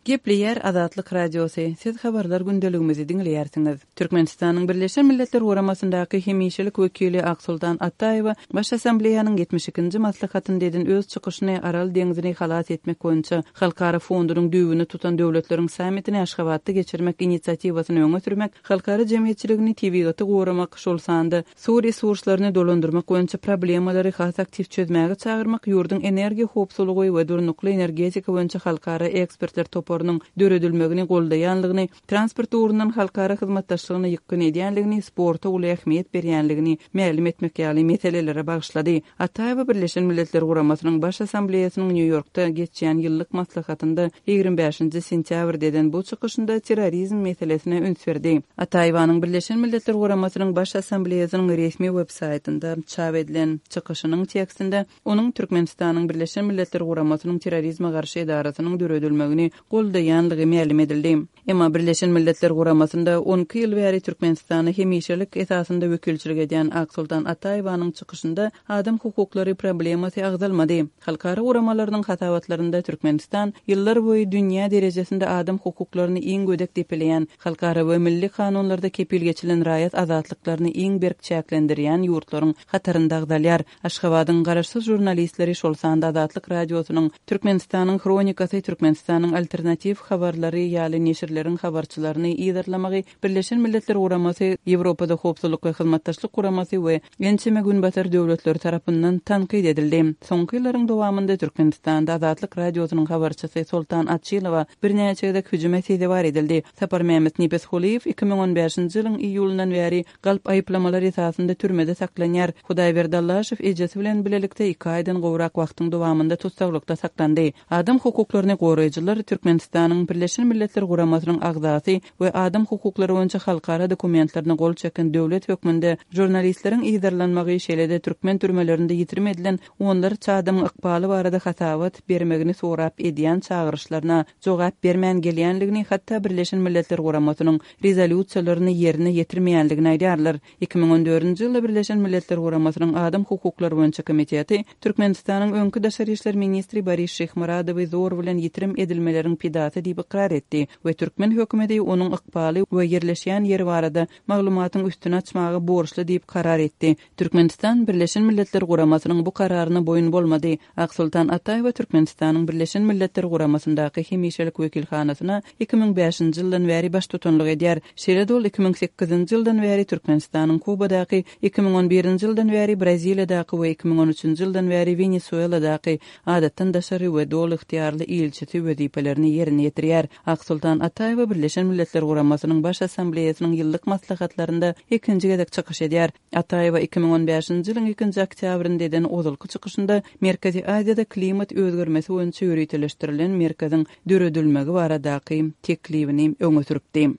Gepleýär Azatlyk Radiosy, Siz habarlar gündeligimizi diňleýärsiňiz. Türkmenistanyň Birleşen Milletler Guramasyndaky hemişelik wekili Aksoltan Ataýewa Baş Assambleýanyň 72-nji maslahatynda eden öz çykyşyny Aral deňzini halas etmek boýunça Halkara fondunyň düýbüni tutan döwletleriň sammitini Aşgabatda geçirmek inisiatiwasyny öňe sürmek, halkara jemgyýetçiligini tebigaty goramak, şol sanda Suw resurslaryny dolandyrmak boýunça problemalary has aktiw çözmäge çagyrmak ýurduň energiýa howpsuzlygy we durnukly energetika boýunça halkara ekspertler toparynyň döredilmegini goldaýanlygyny, transport ugrundan halkara hyzmatdaşlygyna ýykgyn edýänligini, sporta uly ähmiýet berýänligini mälim etmek ýaly meselelere bagyşlady. Ataýewa Birleşen Milletler Guramasynyň Baş Assambleýasynyň Nýu-Ýorkda geçýän ýyllyk maslahatynda 25-nji sentýabrda eden bu çykyşynda terrorizm meselesine üns berdi. Ataýewanyň Birleşen Milletler Guramasynyň Baş Assambleýasynyň resmi web-saýtynda çap edilen çykyşynyň tekstinde onuň Türkmenistanyň Birleşen Milletler Guramasynyň Terrorizme garşy edarasynyň döredilmegini goldaýanlygy mälim edildi. Emma Birleşen Milletler Guramasynda 12 ýyl bäri Türkmenistana hemişelik esasynda wekilçilik edýän Aksoltan Ataýewanyň çykyşynda adam hukuklary problemasy agzalmady. Halkara guramalarynyň hasabatlarynda Türkmenistan ýyllar boýy dünýä derejesinde adam hukuklaryny iň gödek depeleýän, halkara we milli kanunlarda kepil geçilen raýat azatlyklaryny iň berk çäklendirýän ýurtlaryň hatarynda agzalýar. Aşgabadyň garaşsyz žurnalistleri, şol sanda Azatlyk Radiosynyň, Türkmenistanyň Hronikasy, Türkmenistanyň Alternatiw habarlary ýaly neşirleriň habarçylaryny yzarlamagy Birleşen Milletler Guramasy, Ýewropada Howpsuzlyk we Hyzmatdaşlyk Guramasy we ençeme Günbatar döwletleri tarapyndan tankyt edildi. Soňky ýyllaryň dowamynda Türkmenistanda Azatlyk Radiosynyň habarçysy Soltan Açylowa birnäçe gezek hüjüme sezewar edildi. Saparmämmet Nepesgulyýew 2015-nji ýylyň iýulyndan bäri Galp aýyplamalar esasynda türmede saklanýar. Hudaýberdi Allaşow ejesi bilen bilelikde iki aýdan gowrak wagtyň dowamynda tussaglykda saklandy. Adam hukuklaryny goraýjylar Türkmenistanyň Birleşen Milletler Guramasynyň agzasy we adam hukuklary boýunça halkara dokumentlerine gol çeken döwlet hökmünde žurnalistleriň yzarlanmagy, şeýle-de türkmen türmelerinde ýitirim edilen onlarça adamyň ykbaly barada hasabat bermegini sorap edýän çagyryşlaryna jogap bermän gelýänligini, hatda Birleşen Milletler Guramasynyň Rezolýusiýalaryny ýerine ýetirmeýändigini aýdýarlar. 2014-nji ýylda Birleşen Milletler Guramasynyň Adam hukuklary boýunça komiteti Türkmenistanyň öňki daşary işler ministri Boris Şyhmyradowy zor bilen ýitirim edilmeleriň pidasy diýip ykrar etdi we türkmen hökümeti onuň ykbaly we ýerleşýän ýeri barada maglumatyň üstüni açmaga borçly diýip karar etdi. Türkmenistan Birleşen Milletler Guramasynyň bu kararyna boýun bolmady. Aksoltan Ataýewa Türkmenistanyň Birleşen Milletler Guramasyndaky hemişelik wekilhanasyna 2005-nji ýyldan bäri baştutanlyk edýär. Şeýle-de ol 2008-nji ýyldan bäri Türkmenistanyň Kubadaky, 2011-nji ýyldan bäri Braziliýadaky we 2013-nji ýyldan bäri Wenesueladaky Adatdan daşary we doly ygtyýarly ilçisi wezipelerini ýerine ýetirýär. Aksoltan Ataýewa Birleşen Milletler Guramasynyň Baş Assambleýasynyň ýyllyk maslahatlarynda ikinji gezek çykyş edýär. Ataýewa 2015-nji ýylyň ikinji oktýabrynda eden ozalky çykyşynda Merkezi Aziýada klimat özgermesi boýunça ýöriteleşdirilen merkeziň döredilmegi baradaky teklibini öňe sürüpdi.